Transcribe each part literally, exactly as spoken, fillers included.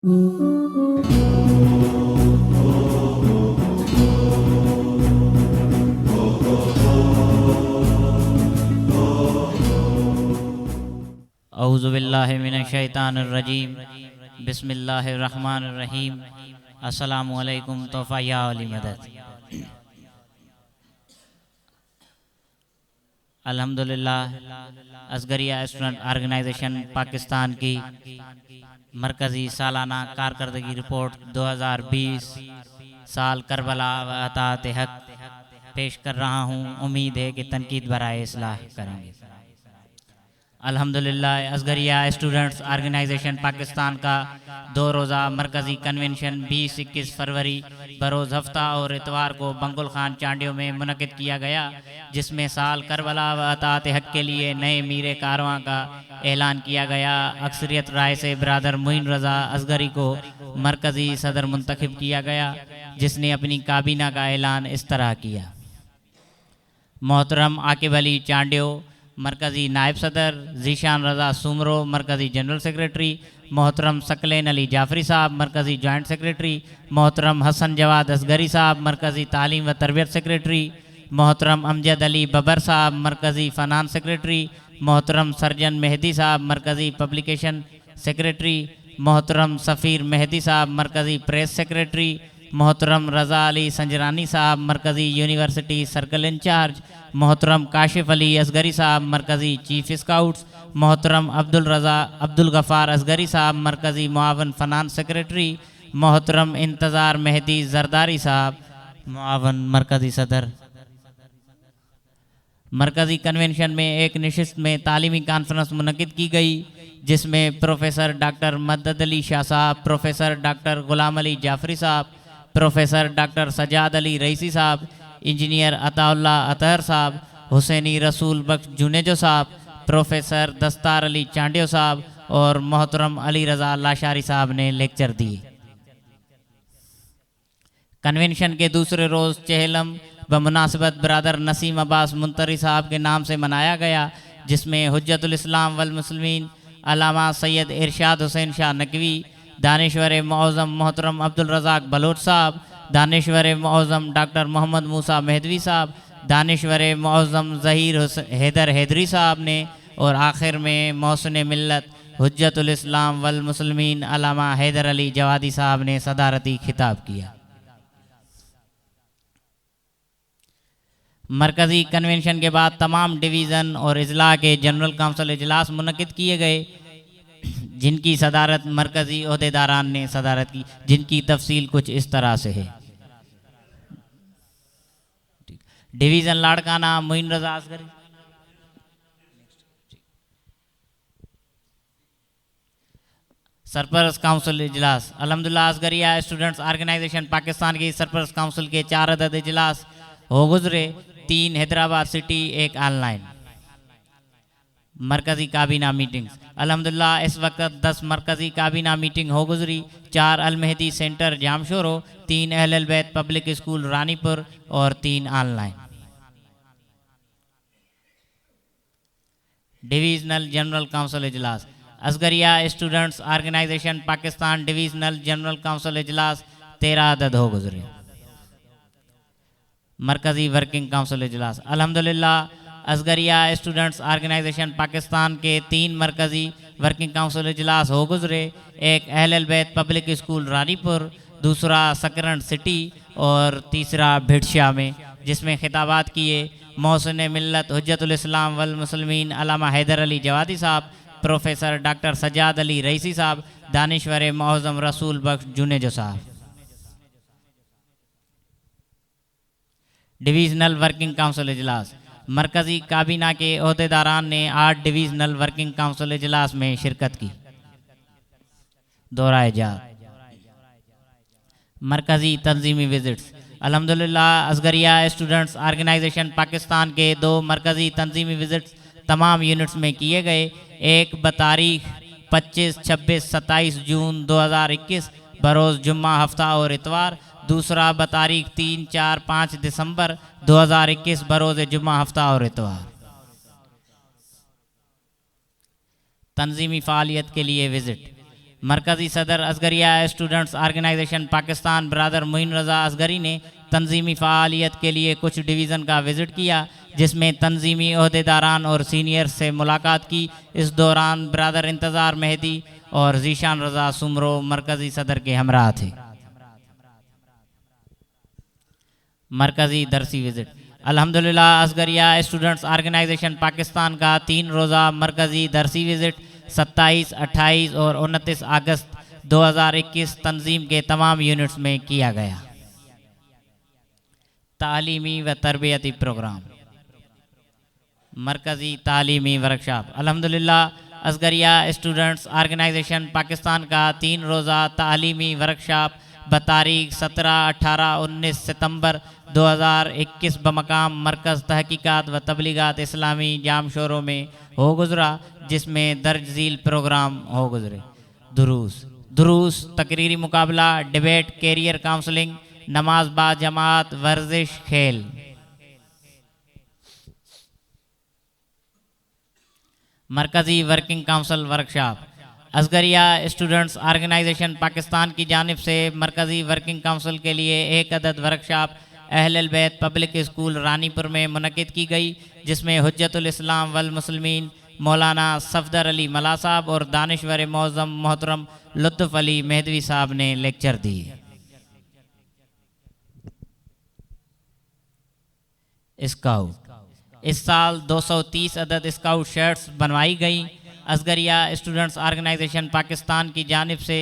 औज़ुबिल्लाहि मिनश्शैतानिर्रजीम। बिस्मिल्लाहिर्रहमानिर्रहीम। अस्सलामु अलैकुम। तोहफ़ा या अली मदद। अल्हम्दुलिल्लाह, असगरिया स्टूडेंट ऑर्गेनाइजेशन पाकिस्तान की मरकज़ी सालाना कारकर्दगी रिपोर्ट दो हज़ार बीस साल करबला व अताअत हक पेश कर रहा हूँ। उम्मीद है कि तनकीद बराए इस्लाह करेंगे। अल्हम्दुलिल्लाह, असगरिया स्टूडेंट्स ऑर्गेनाइजेशन पाकिस्तान का दो रोज़ा मरकज़ी कन्वेंशन बीस इक्कीस फरवरी बरोज़ हफ्ता और इतवार को बंगुल खान चांडियो में मुनक़िद किया गया, जिसमें साल करबला व अताअत हक के लिए नए मीर कारवां का ऐलान किया गया। अक्सरियत राय से बरादर मुइन रज़ा असगरी को मरकज़ी सदर मुंतखब किया गया, जिसने अपनी काबीना का ऐलान इस तरह किया। मोहतरम आकिब अली चांडियो मरकज़ी नायब सदर, ज़ीशान रज़ा सुमरो मरकज़ी जनरल सेक्रेटरी, मोहतरम सकलेन अली जाफरी साहब मरकज़ी जॉइंट सेक्रेटरी, मोहतरम हसन जवाद असगरी साहब मरकज़ी तालीम व तरबियत सेक्रेटरी, मोहतरम अमजद अली बबर साहब मरकज़ी फ़ाइनेंस सेक्रेटरी, मोहतरम सरजन मेहदी साहब मरकज़ी पब्लिकेशन सेक्रेटरी, मोहतरम सफ़ीर मेहदी साहब मरकज़ी प्रेस सेक्रेटरी, मोहतरम रज़ा अली संजरानी साहब मरकज़ी यूनिवर्सिटी सर्कल इंचार्ज, मोहतरम काशिफ अली असगरी साहब मरकज़ी चीफ स्काउट्स, मोहतरम अब्दुल रज़ा अब्दुल गफ़ार असगरी साहब मरकज़ी मुआवन फ़ाइनेंस सेक्रेटरी, मोहतरम इंतज़ार मेहदी जरदारी साहब मुआवन मरकज़ी सदर। मरकज़ी कन्वेंशन में एक नशिस्त में तालीमी कॉन्फ्रेंस मुनक़िद की गई, जिसमें प्रोफेसर डॉक्टर मदद अली शाह साहब, प्रोफेसर डॉक्टर ग़ुलाम अली जाफरी साहब, प्रोफेसर डॉक्टर सजाद अली रईसी साहब, इंजीनियर अताउल्ला अतहर साहब, हुसैनी रसूल बख्श जुनेजो साहब, प्रोफेसर दस्तार अली चांडियो साहब और मोहतरम अली रज़ा लाशारी साहब ने लेक्चर दिए। कन्वेंशन के दूसरे रोज़ चेहलम बमुनासबत बरादर नसीम अब्बास मुंतरी साहब के नाम से मनाया गया, जिसमें हुज्जतुल इस्लाम वल मुस्लिमीन अलामा सैयद इरशाद हुसैन शाह नकवी, दानिश्वर मुअज़्ज़म मोहतरम अब्दुल रज़ाक बलोच साहब, दानिश्वर मुअज़्ज़म डॉक्टर मोहम्मद मूसा मेहदवी साहब, दानिश्वर मुअज़्ज़म ज़हीर हैदर हैदरी साहब ने और आखिर में मोहसिन मिल्लत हुज्जतुल इस्लाम वल मुस्लिमीन अलामा हैदर अली जवादी साहब ने सदारती खिताब किया। मरकज़ी कन्वेंशन के बाद तमाम डिवीज़न और इजला के जनरल काउंसिल इजलास मुनक़िद किए गए, जिनकी सदारत मरकज़ी ओहदेदारान ने सदारत की, जिनकी तफसील कुछ इस तरह से है। डिवीज़न लाड़काना मुइन रज़ा असगरी, सरपरस्त काउंसिल इजलास। अल्हम्दुलिल्लाह, असगरिया स्टूडेंट्स ऑर्गेनाइजेशन पाकिस्तान की सरपरस्त काउंसिल के चार अदद इजलास हो गुजरे, तीन हैदराबाद सिटी, एक ऑनलाइन। मरकज़ी काबीना मीटिंग्स। अल्हम्दुलिल्लाह, इस वक्त दस मरकज़ी काबीना मीटिंग हो गुजरी, चार अलमहदी सेंटर जामशोरो, तीन अहल बैत पब्लिक स्कूल रानीपुर और तीन ऑनलाइन। डिवीज़नल जनरल काउंसिल इजलास। Asgariya students organisation Pakistan divisional general council इजलास तेरह अदद हो गुजरे। मरकज़ी वर्किंग काउंसिल इजलास। अल्हम्दुलिल्लाह, असगरिया स्टूडेंट्स ऑर्गेनाइजेशन पाकिस्तान के तीन मरकज़ी वर्किंग काउंसिल इजलास हो गुजरे, एक अहल बैत पब्लिक स्कूल रानीपुर, दूसरा सकरंड सिटी और तीसरा भिटशा में, जिसमें खिताबात किए मोहसिन मिल्लत हुज्जतुल इस्लाम वल मुस्लिमीन अलामा हैदर अली जवादी साहब, प्रोफेसर डॉक्टर सजाद अली रईसी साहब, दानिश्वर मुअज़्ज़म रसूल बख्श जुनेजो साहब। डिवीज़नल वर्किंग काउंसिल इजलास। मरकज़ी काबीना के ओहदेदारान ने आठ डिवीज़नल वर्किंग काउंसिल इजलास में शिरकत की। दौराए जात। मरकज़ी तंजीमी विज़िट्स। अल्हम्दुलिल्लाह, असगरिया स्टूडेंट्स ऑर्गेनाइजेशन पाकिस्तान के दो मरकज़ी तंजीमी विज़िट्स तमाम यूनिट्स में किए गए, एक बतारीख पच्चीस, छब्बीस, सत्ताईस जून दो हज़ार इक्कीस बरोज़ जुम्मा, हफ्ता और इतवार, दूसरा बतारीख तीन, चार, पाँच दिसंबर दो हज़ार इक्कीस बरोज़ जुम्मा, हफ्ता और इतवार। तंजीमी फ़ालियत के लिए विज़िट। मरकज़ी सदर असगरिया स्टूडेंट्स आर्गेनाइजेशन पाकिस्तान बरादर मोइन रज़ा असगरी ने तंजीमी फ़ालियत के लिए कुछ डिवीज़न का विज़िट किया, जिसमें तंजीमी अहदेदारान और सीनियर्स से मुलाकात की। इस दौरान बरादर इंतज़ार मेहदी और ज़ीशान रज़ा सुमरो मरकज़ी सदर के हमरा थे। मरकज़ी दरसी विज़िट। अल्हम्दुलिल्लाह असगरिया स्टूडेंट्स आर्गेनाइजेशन पाकिस्तान का तीन रोज़ा मरकज़ी दरसी विज़िट सत्ताईस, अट्ठाईस और उनतीस अगस्त दो हज़ार इक्कीस तंजीम के तमाम यूनिट्स में किया गया। तालीमी व तरबियती प्रोग्राम। मरकज़ी तालीमी वर्कशॉप। अल्हम्दुलिल्लाह असगरिया स्टूडेंट्स आर्गेनाइजेशन पाकिस्तान का तीन रोज़ा तालीमी वर्कशॉप बतारीख सत्रह, अठारह, उन्नीस सितंबर दो हज़ार इक्कीस बमकाम मरकज़ तहकीकात व तबलीगात इस्लामी जामशोरों में हो गुज़रा, जिसमें दर्ज ज़ील प्रोग्राम हो गुज़रे। दुरूस दुरूस तकरीरी मुकाबला, डिबेट, कैरियर काउंसलिंग, नमाज बा जमात, वर्जिश, खेल। मरकज़ी working council workshop. Asgaria students organisation Pakistan की जानिब से मरकज़ी वर्किंग काउंसिल के लिए एक अदद वर्कशॉप अहल बैत पब्लिक स्कूल रानीपुर में मुनक़िद की गई, जिसमें हुज्जतुल इस्लाम वल मुस्लिमीन मौलाना सफदर अली मला साहब और दानिश्वर मौज़म मोहतरम लुत्फ़ अली मेहदवी साहब ने लेक्चर दिए। स्काउट। इस साल दो सौ तीस अदद स्काउट शर्ट्स बनवाई गई। असगरिया स्टूडेंट्स आर्गेनाइजेशन पाकिस्तान की जानिब से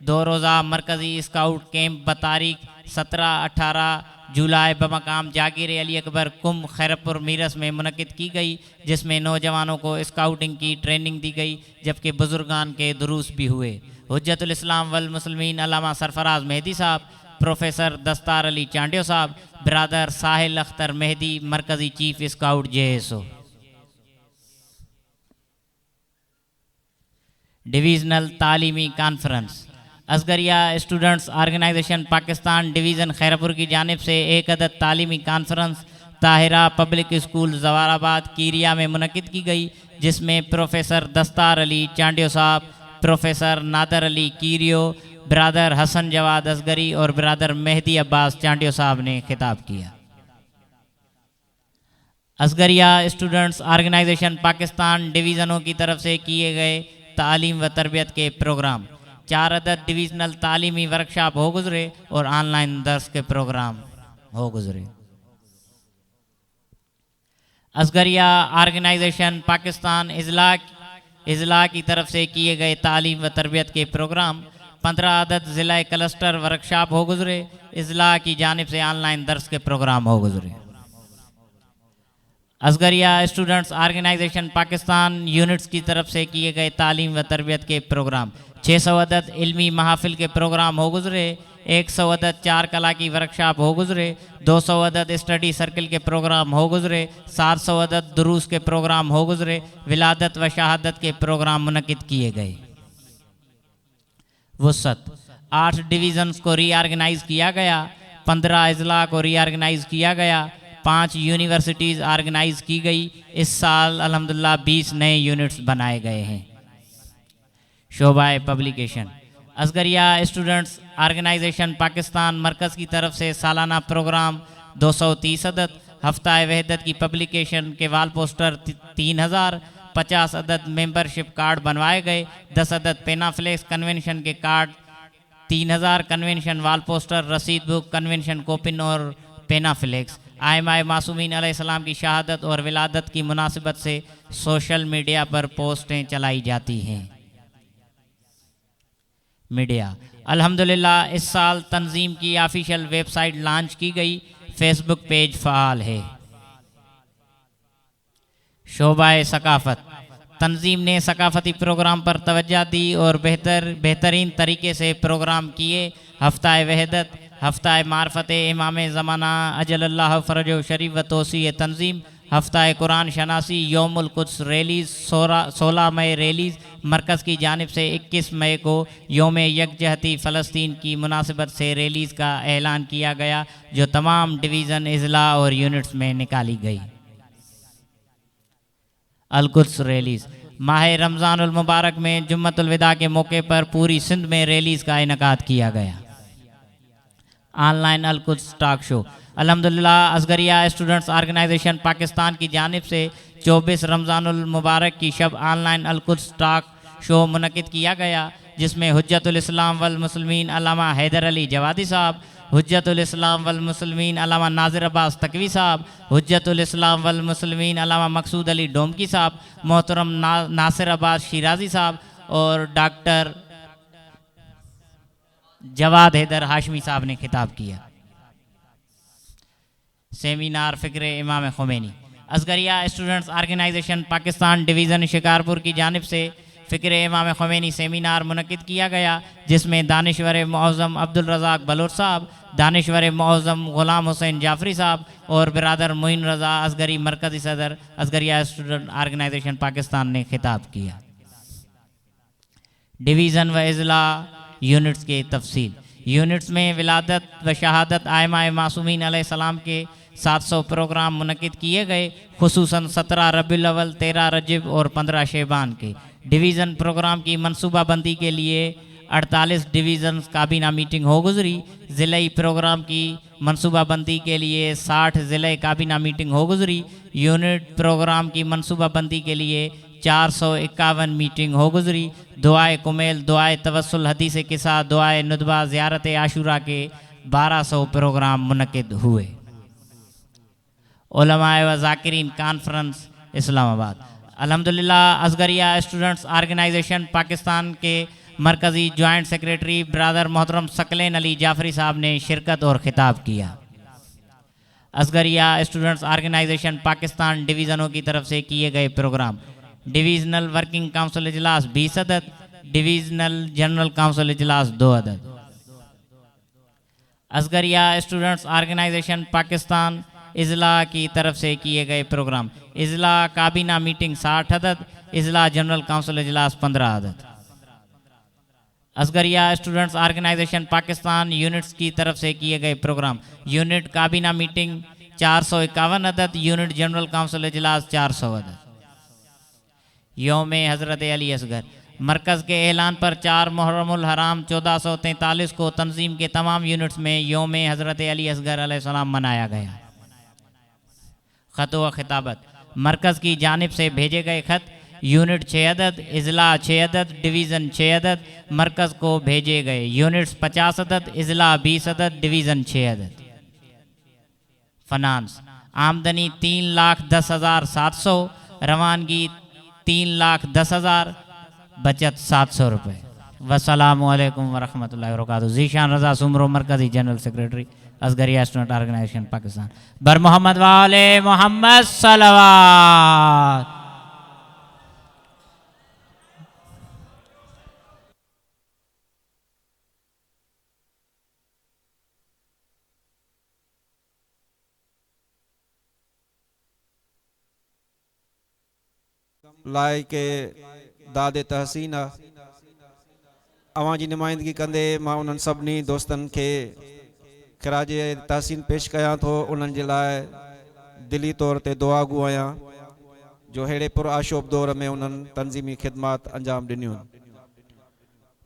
दो रोज़ा मरकज़ी स्काउट कैंप बतारीख सत्रह, अठारह जुलाई बमकाम जागीर अली अकबर कुम खैरपुर मीरस में मुनक़िद की गई, जिसमें नौजवानों को स्काउटिंग की ट्रेनिंग दी गई, जबकि बुज़ुर्गान के दुरूस भी हुए। हुज्जतुल इस्लाम वल मुस्लिमीन अल्लामा सरफराज मेहदी साहब, प्रोफेसर दस्तार अली चांडियो साहब, बरादर साहिल अख्तर मेहदी मरकज़ी chief scout J S O. Divisional तालीमी conference. Asgaria students organisation Pakistan division Khairpur की जानिब से एक अदद तालीमी conference Tahira public school Zawarabad Keeriya में मुनक़िद की गई, जिसमें प्रोफेसर दस्तार अली चांडियो साहब, प्रोफेसर नादर अली कीरियो, बरादर हसन जवाद असगरी और बरादर मेहदी अब्बास चांडियो साहब ने खिताब किया। असगरिया स्टूडेंट्स आर्गेनाइजेशन पाकिस्तान डिवीज़नों की तरफ से किए गए तालीम व तरबियत के प्रोग्राम। चार अदद डिवीज़नल तालीमी वर्कशॉप हो गुज़रे और ऑनलाइन दर्स के प्रोग्राम हो गुज़रे। असगरिया आर्गेनाइजेशन पाकिस्तान इजला इजला की तरफ से किए गए तालीम व तरबियत के प्रोग्राम। पंद्रह अदद ज़िला क्लस्टर वर्कशॉप हो गुज़रे। इजला की जानिब से ऑनलाइन दर्स के प्रोग्राम हो गुज़रे। Asgaria students organisation Pakistan units की तरफ से किए गए तालीम व तरबियत के प्रोग्राम। छः सौ अदद इल्मी महाफिल के प्रोग्राम हो गुज़रे। एक सौ अदद चार कला की वर्कशॉप हो गुज़रे। दो सौ अदद स्टडी सर्कल के प्रोग्राम हो गुज़रे। सात सौ अदद दुरूस के प्रोग्राम हो गुज़रे। विलादत व शहादत के प्रोग्राम मुनक़िद किए गए। वसत आठ डिवीज़न्स को रीऑर्गेनाइज़ किया गया, पंद्रह अजला को रीऑर्गेनाइज़ किया गया, पाँच यूनिवर्सिटीज़ ऑर्गेनाइज़ की गई। इस साल अल्हम्दुलिल्लाह बीस नए यूनिट्स बनाए गए हैं। शोबाए publication. Asgaria students organisation Pakistan मरकज़ की तरफ से सालाना प्रोग्राम दो सौ तीस अदद, हफ्ता वहदत की पब्लिकेशन के वाल पोस्टर तीन हज़ार, पचास अदद मेंबरशिप कार्ड बनवाए गए, दस अदद पेनाफ्लेक्स कन्वेंशन के कार्ड तीन हज़ार, कन्वेंशन वाल पोस्टर, रसीद बुक, कन्वेंशन कोपिन और पेनाफ्लेक्स। आइमाए मासूमीन अलैहिस्सलाम की शहादत और विलादत की मुनासिबत से सोशल मीडिया पर पोस्टें चलाई जाती हैं। मीडिया। अल्हम्दुलिल्लाह इस साल तंजीम की ऑफिशियल वेबसाइट लॉन्च की गई, फेसबुक पेज फ़आल है। शोबाए सकाफत। तंजीम ने सकाफती प्रोग्राम पर तवज्जो दी और बेहतर बेहतरीन तरीके से प्रोग्राम किए। हफ्ता वहदत, हफ्ता मार्फत इमाम ज़माना अजल्लाह फ़रज शरीफ व तोसी तंजीम, हफ्ता कुरान शनासी, यौमुल कुद्स रैलीज़, सोलह मई रैलीज़। मरकज़ की जानिब से इक्कीस मई को योम यकजहती फ़लस्तीन की मुनासिबत से रैलीज़ का ऐलान किया गया, जो तमाम डिवीज़न, अजला और यूनिट्स में निकाली गई। Al-Quds rallies. माह रमज़ानुल मुबारक में जुम्मतुल विदा के मौके पर पूरी सिंध में रैलीज़ का इनकाद किया गया। Online Al Quds talk show. अल्हम्दुलिल्लाह असगरिया स्टूडेंट्स ऑर्गेनाइजेशन पाकिस्तान की जानिब से चौबीस रमज़ानुल मुबारक की शब ऑनलाइन अल-कुद्स टॉक शो मुनक़िद किया गया, जिसमें हुज्जतुल इस्लाम वल मुस्लिमीन अल्लामा हैदर अली जवादी साहब, हुज्जतुल इस्लाम वल मुस्लिमीन अल्लामा नाजिर अब्बास तकवी साहब, हुज्जतुल इस्लाम वल मुस्लिमीन अल्लामा मकसूद अली डोमकी साहब, मोहतरम ना, नासिर अब्बास शिराज़ी साहब और डॉक्टर जवाद हैदर हाशमी साहब ने खिताब किया। सेमिनार फ़िक्र इमाम Khomeini. Asgaria students organisation Pakistan division Shikarpur की जानिब से फ़िक्र इमाम खुमैनी सेमिनार मुनक़िद किया गया, जिसमें दानिश्वर मुअज़्ज़म अब्दुल रज़ाक बलोच साहब, दानिश्वर मुअज़्ज़म ग़ुलाम हुसैन जाफरी साहब और बिरादर मोइन रज़ा असगरी मरकज़ी सदर असगरिया स्टूडेंट ऑर्गेनाइजेशन पाकिस्तान ने खिताब किया। डिवीज़न व अज़ला यूनिट्स के तफसील। यूनिट्स में विलादत व शहादत आइमा मासूमीन अलैहिस्सलाम के सात सौ प्रोग्राम मुनक़िद किए गए, खुसूसन सत्रह रबीउल अव्वल, तेरह रजब और पंद्रह शेबान के। डिवीज़न प्रोग्राम की मनसूबाबंदी के लिए अड़तालीस डिवीज़न काबीना मीटिंग हो गुज़री। ज़िले प्रोग्राम की मनसूबाबंदी के लिए साठ ज़िले काबीना मीटिंग हो गुज़री। यूनिट प्रोग्राम की मनसूबाबंदी के लिए चार सौ इक्यावन मीटिंग हो गुज़री। दुआए कुमेल, दुआए तवस्सुल, हदीस किसा, दुआए नुदबा, ज़ियारत आशूरा के बारह सौ प्रोग्राम मुनक़िद हुए। उलमाए व ज़ाकिरीन कॉन्फ्रेंस इस्लामाबाद। अल्हम्दुलिल्लाह असगरिया स्टूडेंट्स ऑर्गेनाइजेशन पाकिस्तान के मरकज़ी जॉइंट सेक्रेटरी ब्रादर मोहतरम सकलेन अली जाफरी साहब ने शिरकत और ख़िताब किया। असगरिया स्टूडेंट्स ऑर्गेनाइजेशन पाकिस्तान डिवीज़नों की तरफ से किए गए प्रोग्राम। डिवीज़नल वर्किंग काउंसिल इजलास बीस अदद, डिवीज़नल जनरल काउंसिल इजलास दो अदद। असगरिया स्टूडेंट्स ऑर्गेनाइजेशन पाकिस्तान इजला की तरफ से किए गए प्रोग्राम। इजला काबीना मीटिंग साठ अदद, इजला जनरल काउंसिल इजलास पंद्रह अदद। Asgaria students organisation Pakistan units की तरफ से किए गए प्रोग्राम। यूनिट काबीना मीटिंग चार सौ इक्यावन अदद, यूनिट जनरल काउंसिल इजलास चार सौ अदद। योम हज़रत अली असगर। मरकज़ के ऐलान पर चार मुहर्रमुल हराम चौदह सौ तैंतालीस को तंजीम के तमाम यूनिट्स में योम हज़रत अली असगर अलैहिस्सलाम मनाया गया। ख़त व खिताबत। मरकज़ की जानिब से भेजे गए ख़त यूनिट छः अदद, इजला छः अदद, डिवीज़न छः अदद मरकज़ को भेजे गए। यूनिट्स पचास अदद, इजला बीस अदद, डिवीज़न छः अदद। फनांस। आमदनी तीन लाख दस हज़ार सात सौ, रवानगी तीन लाख दस हज़ार, बचत सात सौ रुपये। वसलाम अलैकुम वरहमतुल्लाहि वबरकातुहू। ज़ीशान रज़ा सुमरो, मरकज़ी general secretary Asgaria student organisation Pakistan. बर मोहम्मद वाले मोहम्मद सलावत। लाइ के दाद तहसीन आहे। अवां जी नुमाइंदगी कंदे मां उन्हनि सभिनी दोस्तनि खे ख़िराज तहसीन पेश कयां थो। उन्हनि जे लाइ दिली तौर ते दुआ गो आहियां जो अहिड़े पुर आशोब दौर में उन्हनि तंज़ीमी ख़िदमात अंजाम ॾिनियूं।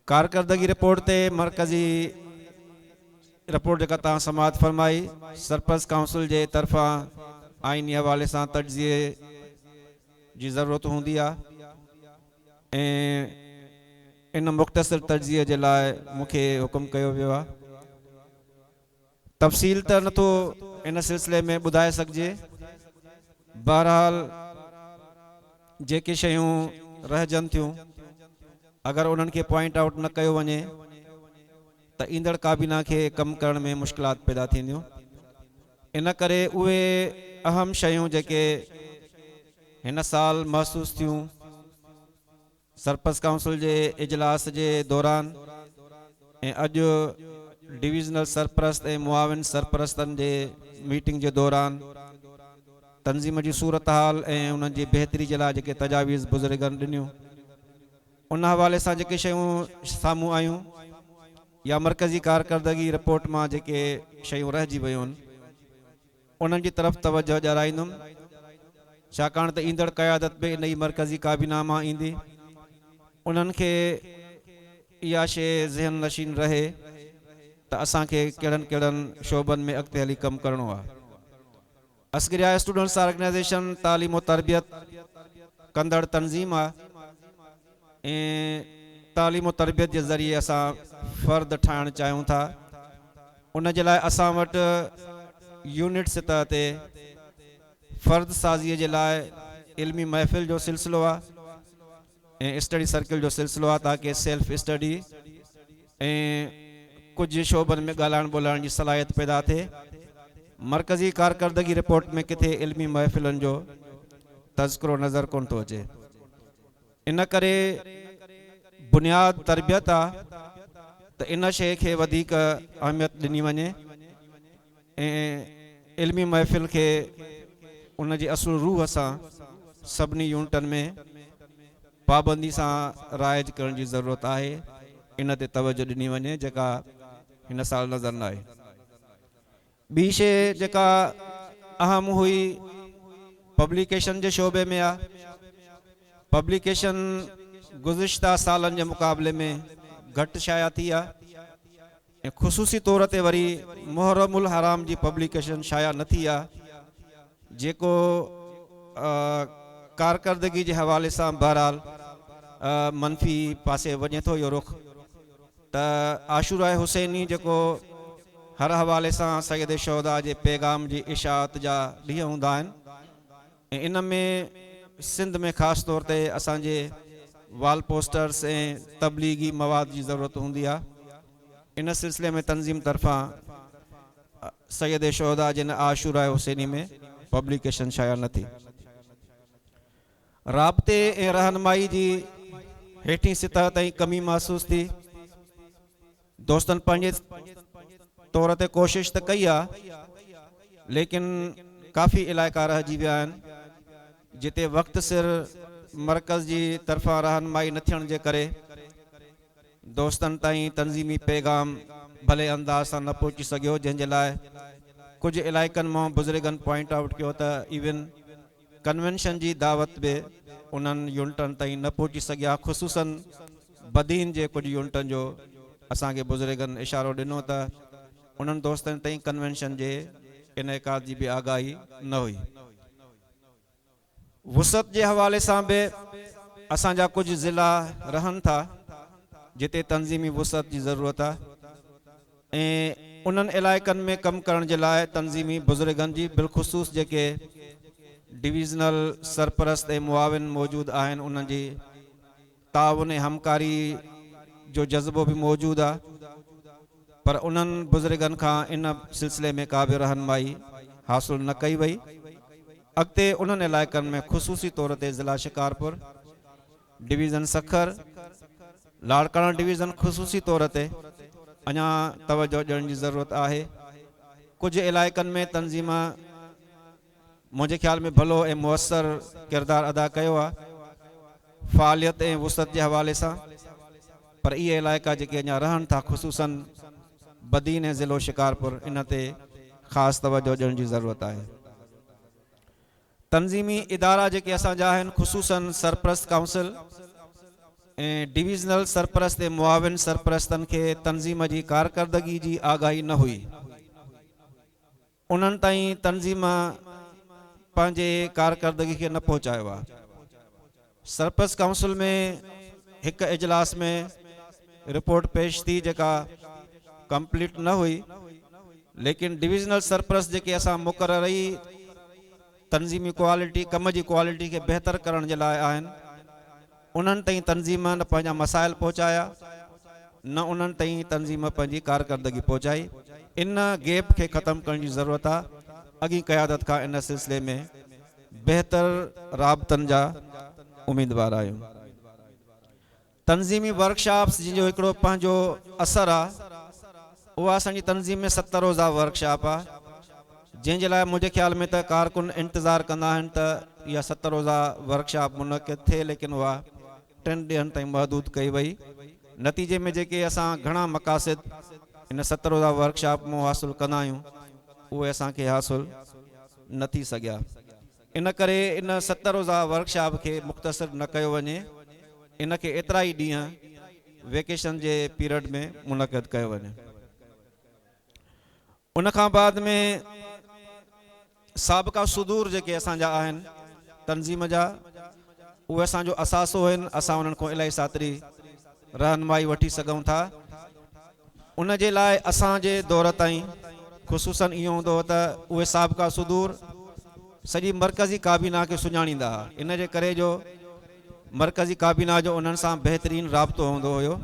कारकर्दगी रिपोर्ट ते मरकज़ी रिपोर्ट जेका तव्हां समाअत फरमाई, सरपरस्त काउंसिल जे तरफ़ां आइनी हवाले सां तजिए जी ज़रूरत हूंदी आहे ऐं इन मुख़्तसर तजिए जे लाइ मूंखे हुकुम कयो वियो आहे। तफ़सील त नथो इन सिलसिले में ॿुधाए सघिजे, बहरहाल जेके शयूं रहिजनि थियूं अगरि उन्हनि खे पॉइंट आउट न कयो वञे त ईंदड़ काबीना खे कमु करण में मुश्किलात पैदा थींदियूं। इन करे उहे अहम शयूं जेके हिन साल महसूस थियूं सरपरस्त काउंसिल जे इजलास जे दौरान ऐं अॼु डिविजनल सरपरस्त ऐं मुआविन सरपरस्तनि जे मीटिंग जे दौरान तंज़ीम जी सूरत हाल ऐं उन्हनि जी बहितरी जे लाइ जेके तजावीज़ बुज़ुर्गनि ॾिनियूं उन हवाले सां जेके शयूं साम्हूं आयूं या मरकज़ी कारकर्दगी रिपोर्ट मां जेके शयूं रहिजी वियूं आहिनि उन्हनि जी तरफ़ तवजो ॾियाराईंदुमि। ڇاڪاڻ ته ايندڙ قيادت به ان ئي مرڪزي ڪابينا مان ايندي. انهن کي اها شيءِ ذهن نشين رهي ته اسان کي ڪهڙن ڪهڙن شعبن ۾ اڳتي هلي ڪم ڪرڻو آهي. عسڪريه اسٽوڊنٽس آرگنائيزيشن تعليم و تربيت ڪندڙ تنظيم آهي ۽ تعليم و تربيت جي ذريعي اسان فرد ٺاهڻ چاهيون ٿا. ان جي لاءِ اسان وٽ يونٽ سطح تي فرد سازيءَ جي لاءِ علمي محفل جو سلسلو آهي ۽ اسٽڊي سرڪل جو سلسلو آهي، تاڪه سيلف اسٽڊي ۽ ڪجهه شعبن ۾ ڳالهائڻ ٻولائڻ جي صلاحيت پيدا ٿئي. مرڪزي ڪارڪردگي رپورٽ ۾ ڪٿي علمي محفلن جو تذڪرو نظر ڪونه ٿو اچي. ان ڪري بنياد تربيت آهي ته ان شيءِ کي وڌيڪ اهميت ڏني وڃي ۽ علمي محفل کي ان جي اصل روح سان سڀني يونٽن ۾ پابندي سان رائج ڪرڻ جي ضرورت آهي. ان تي توجهه ڏني وڃي، جيڪا هن سال نظر نه آئي. ٻي شيءِ جيڪا اهم هئي، پبلڪيشن جي شعبي ۾ آهي. پبلڪيشن گذشته سالن جي مقابلي ۾ گهٽ شايع ٿي آهي ۽ خصوصي طور تي وري محرم الحرام جي پبلڪيشن شايع نه ٿي آهي، جيڪو ڪارڪردگي جي حوالي سان بهرحال منفي پاسي وڃي ٿو اهو رخ. ته عاشورا حسيني، جيڪو هر حوالي سان سيد شهدا جي پيغام جي اشاعت جا ڏينهن هوندا آهن ۽ ان ۾ سنڌ ۾ خاص طور تي اسان جي وال پوسٽرس ۽ تبليغي مواد جي ضرورت هوندي آهي، ان سلسلي ۾ تنظيم طرفان سيد شهدا جي عاشورا حسيني ۾ پبلڪيشن شايع نه ٿي. رابطي ۽ رهنمائي جي هيٺين سطح تائين ڪمي محسوس ٿي. دوستن پنهنجي طور تي ڪوشش ته ڪئي آهي، ليڪن ڪافي علائقا رهجي ويا آهن، جتي وقت سر مرڪز جي طرفان رهنمائي نه ٿيڻ جي ڪري دوستن تائين تنظيمي پيغام ڀلي انداز سان نه پهچي سگهيو، جنهن جي لاءِ ڪجهه علائقن مان بزرگن پوائنٽ آئوٽ ڪيو ته ايون ڪنوينشن جي دعوت به انهن يونٽن تائين نه پهچي سگهيا. خصوصن بدين جي ڪجهه يونٽن جو اسان کي بزرگن اشارو ڏنو ته انهن دوستن تائين ڪنوينشن جي انعقاد جي به آگاهي نه هئي. وسعت جي حوالي سان به اسان جا ڪجهه ضلعا رهن ٿا، جتي تنظيمي وسعت جي ضرورت آهي ۽ انهن علائقن ۾ ڪم ڪرڻ جي لاءِ تنظيمي بزرگن جي، بالخصوص جيڪي ڊويزنل سرپرست ۽ معاون موجود آهن، انهن جي تعاون ۽ همڪاري جو جذبو به موجود آهي، پر انهن بزرگن کان ان سلسلي ۾ ڪا به رهنمائي حاصل نه ڪئي وئي. اڳتي انهن علائقن ۾ خصوصي طور تي ضلع شڪارپور، ڊويزن سکر، لاڙڪاڻا ڊويزن خصوصي طور تي اڃا توجهه ڏيڻ جي ضرورت آهي. ڪجهه علائقن ۾ تنظيم منهنجي خيال ۾ ڀلو ۽ مؤثر ڪردار ادا ڪيو آهي فعاليت ۽ وسعت جي حوالي سان، پر اهي علائقا جيڪي اڃا رهن ٿا، خصوصن بدين ۽ ضلعو شڪارپور، ان تي خاص توجهه ڏيڻ جي ضرورت آهي. تنظيمي ادارا جيڪي اسان جا آهن، خصوصن سرپرست ڪائونسل ۽ ڊويزنل سرپرست ۽ معاون سرپرستن کي تنظيم جي ڪارڪردگي جي آگاهي نه هئي. انهن تائين تنظيم پنهنجي ڪارڪردگي کي نه پهچايو آهي. سرپرست ڪائونسل ۾ هڪ اجلاس ۾ رپورٽ پيش ٿي، جيڪا ڪمپليٽ نه هئي، ليڪن ڊويزنل سرپرست جيڪي اسان مقرر ئي تنظيمي ڪوالٽي، ڪم جي ڪوالٽي کي بهتر ڪرڻ جي لاءِ آهن، انهن تائين تنظيم نه پنهنجا مسائل پهچايا، نه انهن تائين تنظيم پنهنجي ڪارڪردگي پهچائي. ان گيپ کي ختم ڪرڻ جي ضرورت آهي. اڳي قيادت کان ان سلسلي ۾ بهتر رابطن جا اميدوار آهيون. تنظيمي ورڪشاپس جن جو هڪڙو پنهنجو اثر آهي، اها اسان جي تنظيم ۾ ست روزا ورڪشاپ آهي، جنهن جي لاءِ منهنجي خيال ۾ ته ڪارڪن انتظار ڪندا آهن ته اها ست روزا ورڪشاپ منعقد ٿئي، ليڪن اها ٽن ڏينهن تائين محدود ڪئي وئي. نتيجي ۾ جيڪي اسان گهڻا مقاصد ان ست روزا ورڪشاپ مان حاصل ڪندا آهيون، اهي اسان کي حاصل نه ٿي سگهيا. ان ڪري ان ست روزا ورڪشاپ کي مختصر نه ڪيو وڃي، ان کي ايترا ئي ڏينهن ويڪيشن جي پيريڊ ۾ منعقد ڪيو وڃي. ان کان بعد ۾ سابقا صدور جيڪي اسان جا آهن تنظيم جا، اهي اسان جو اثاثو آهن، اسان انهن کان الاهي ساتري رهنمائي وٺي سگهون ٿا. ان جي لاءِ اسان جي دور تائين خصوصن اهو هوندو هو ته اهي سابقا صدور سڄي مرڪزي ڪابينا کي سڃاڻيندا هئا، ان جي ڪري جو مرڪزي ڪابينا جو انهن سان بهترين رابطو هوندو هيو.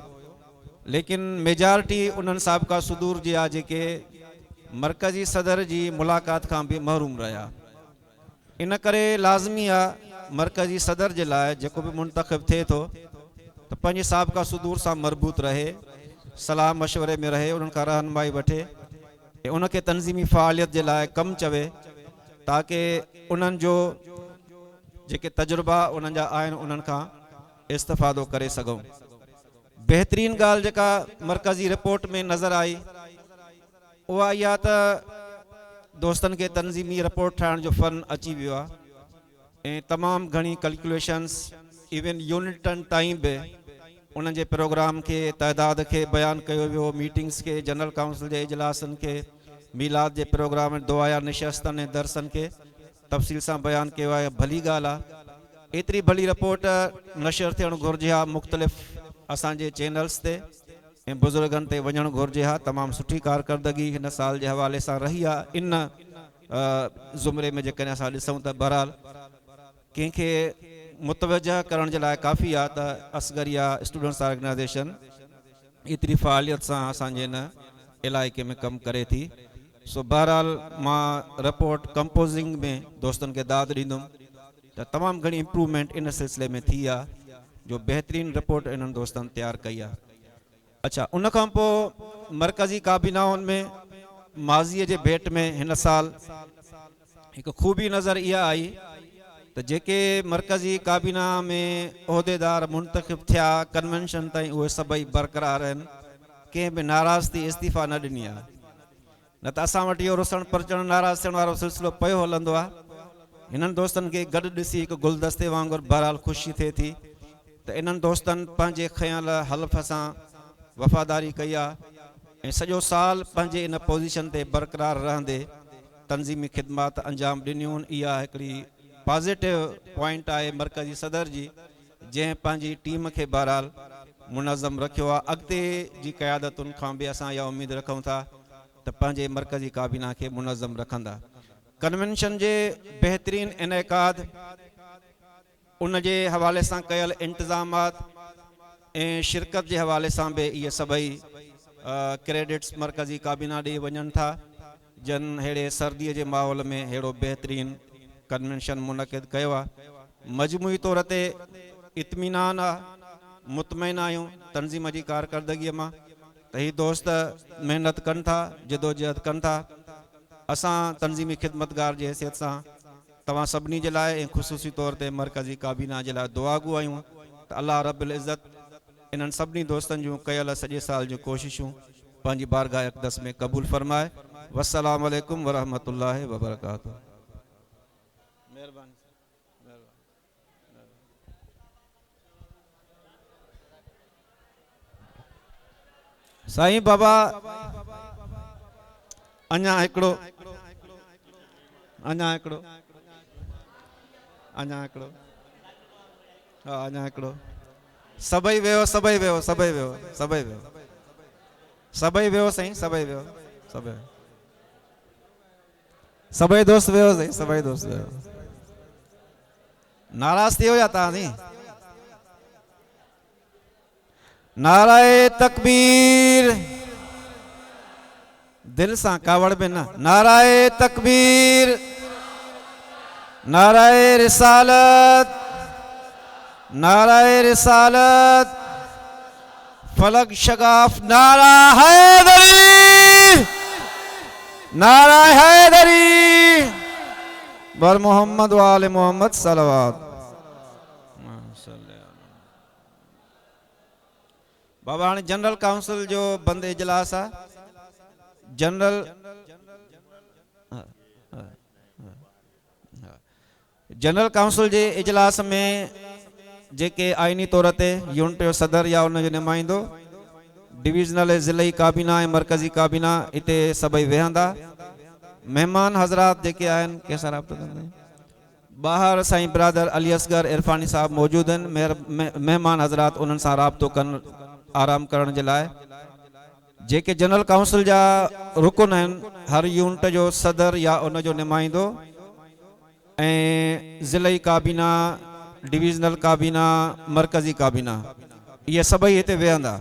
ليڪن ميجارٽي انهن سابقا صدور جي آهي جيڪي مرڪزي صدر جي ملاقات کان به محروم رهيا. ان ڪري لازمي آهي مرڪزي صدر جي لاءِ جيڪو به منتخب ٿئي ٿو ته پنهنجي سابقا صدور سان مربوط رهي، صلاح مشوري ۾ رهي، انهن کان رهنمائي وٺي ۽ ان کي تنظيمي فعاليت جي لاءِ ڪم چوي، تاڪه انهن جو جيڪي تجربا انهن جا آهن انهن کان استفادو ڪري سگهون. بهترين ڳالهه جيڪا مرڪزي رپورٽ ۾ نظر آئي اها اها ته دوستن کي تنظيمي رپورٽ ٺاهڻ جو فن اچي ويو آهي ۽ تمام گهڻي ڪيلڪيوليشنس ايون يونٽن تائين به انهن جي پروگرام کي، تعداد کي بيان ڪيو ويو، ميٽنگس کي، جنرل ڪائونسل جي اجلاسن کي، ميلاد جي پروگرام، دعايا نشستن ۽ درسن کي تفصيل سان بيان ڪيو آهي. ڀلي ڳالهه آهي، ايتري ڀلي رپورٽ نشر ٿيڻ گهرجي ها مختلف اسان جي چينلس تي ۽ بزرگن تي وڃڻ گهرجي ها. تمام سٺي ڪارڪردگي هن سال جي حوالي سان رهي آهي. ان زمري ۾ جيڪڏهن اسان ڏسون ته بهرحال ڪنهن کي متوجه ڪرڻ جي لاءِ ڪافي آهي ته اصغريه اسٽوڊنٽس آرگنائيزيشن ايتري فعاليت سان اسان جي هن علائقي ۾ ڪم ڪري ٿي. سو بهرحال مان رپورٽ ڪمپوزنگ ۾ دوستن کي داد ڏيندم ته تمام گهڻي امپروومينٽ ان سلسلي ۾ ٿي آهي جو بهترين رپورٽ انهن دوستن تيار ڪئي آهي. اڇا، ان کان پوءِ مرڪزي ڪابينائن ۾ ماضيءَ جي ڀيٽ ۾ هن سال هڪ خوبي نظر اها آئي ته جيڪي مرڪزي ڪابينا ۾ عهديدار منتخب ٿيا ڪنوينشن تائين اهي سڀئي برقرار آهن، ڪنهن به ناراض ٿي استعيفا نه ڏني آهي. نه ته اسان وٽ اهو رسڻ پرچڻ ناراض ٿيڻ وارو سلسلو پيو هلندو آهي. هنن دوستن کي گڏ ڏسي هڪ گلدستي وانگر بهرحال خوشي ٿئي ٿي ته انهن دوستن پنهنجي کنيل حلف سان وفاداري ڪئي آهي ۽ سڄو سال پنهنجي ان پوزيشن تي برقرار رهندي تنظيمي خدمات انجام ڏنيون. اها هڪڙي پازيٽو پوائنٽ آهي مرڪزي صدر جي، جنهن پنهنجي ٽيم کي بهرحال منظم رکيو آهي. اڳتي جي قيادتن کان به اسان اها اميد رکون ٿا ته پنهنجي مرڪزي ڪابينا کي منظم رکندا. ڪنوينشن جي بهترين انعقاد، ان جي حوالي سان ڪيل انتظامات ۽ شرڪت جي حوالي سان به اهي سڀئي ڪريڊٽس مرڪزي ڪابينا ڏي وڃن ٿا، جن اهڙي سرديءَ جي ماحول ۾ اهڙو بهترين ڪنوينشن منعقد ڪيو آهي. مجموعي طور تي اطمينان آهي، مطمئن آهيون تنظيم جي ڪارڪردگيءَ مان ته هي دوست محنت ڪن ٿا، جدوجهد ڪن ٿا. اسان تنظيمي خدمتگار جي حيثيت سان توهان سڀني جي لاءِ ۽ خصوصي طور تي مرڪزي ڪابينا جي لاءِ دعاگو آهيون ته الله رب العزت انهن سڀني دوستن جون ڪيل سڄي سال جون ڪوششون پنهنجي بارگاهه اقدس ۾ قبول فرمائي. والسلام عليڪم ورحمة الله وبرڪاته. مهرباني. سائين بابا اڃا هڪڙو اڃا هڪڙو اڃا هڪڙو ها اڃا هڪڙو سڀئي ويو سڀئي ويو سڀئي ويو سڀئي ويو سڀئي ويو سائين سڀئي ويو سڀئي سڀئي دوست ويو سائين سڀئي دوست ويو. ناراض ٿي ويو يا توهان سائين؟ نعره تڪبير، دل سان ڪاوڙ ۾ نه. نعره تڪبير، نعره رسالت، نعره رسالت، فلڪ شگاف، نعره حيدري، نعره حيدري، بر محمد وآل محمد صلوات. بابا هاڻي جنرل ڪائونسل جو بند اجلاس آهي. جنرل जनरल काउंसिल जे इजलास में जेके आइनी तौर ते यूनिट जो सदर या उन जो नुमाइंदो, डिविजनल ऐं ज़िलई काबीना ऐं मरकज़ी काबीना हिते सभई वेहंदा। महिमान हज़रात जेके आहिनि, कंहिं सां राब्तो कंदा? ॿाहिरि साईं बिरादर अली असगर इरफानी साहब मौजूदु आहिनि। महिमान हज़रात उन्हनि सां राब्तो कनि आराम करण जे लाइ। जेके जनरल काउंसिल जा रुकन आहिनि, हर यूनिट जो सदर या उन जो नुमाइंदो ऐं ज़िलई काबीना, डिविजनल काबीना, मरकज़ी काबीना, इहे सभई हिते वेहंदा।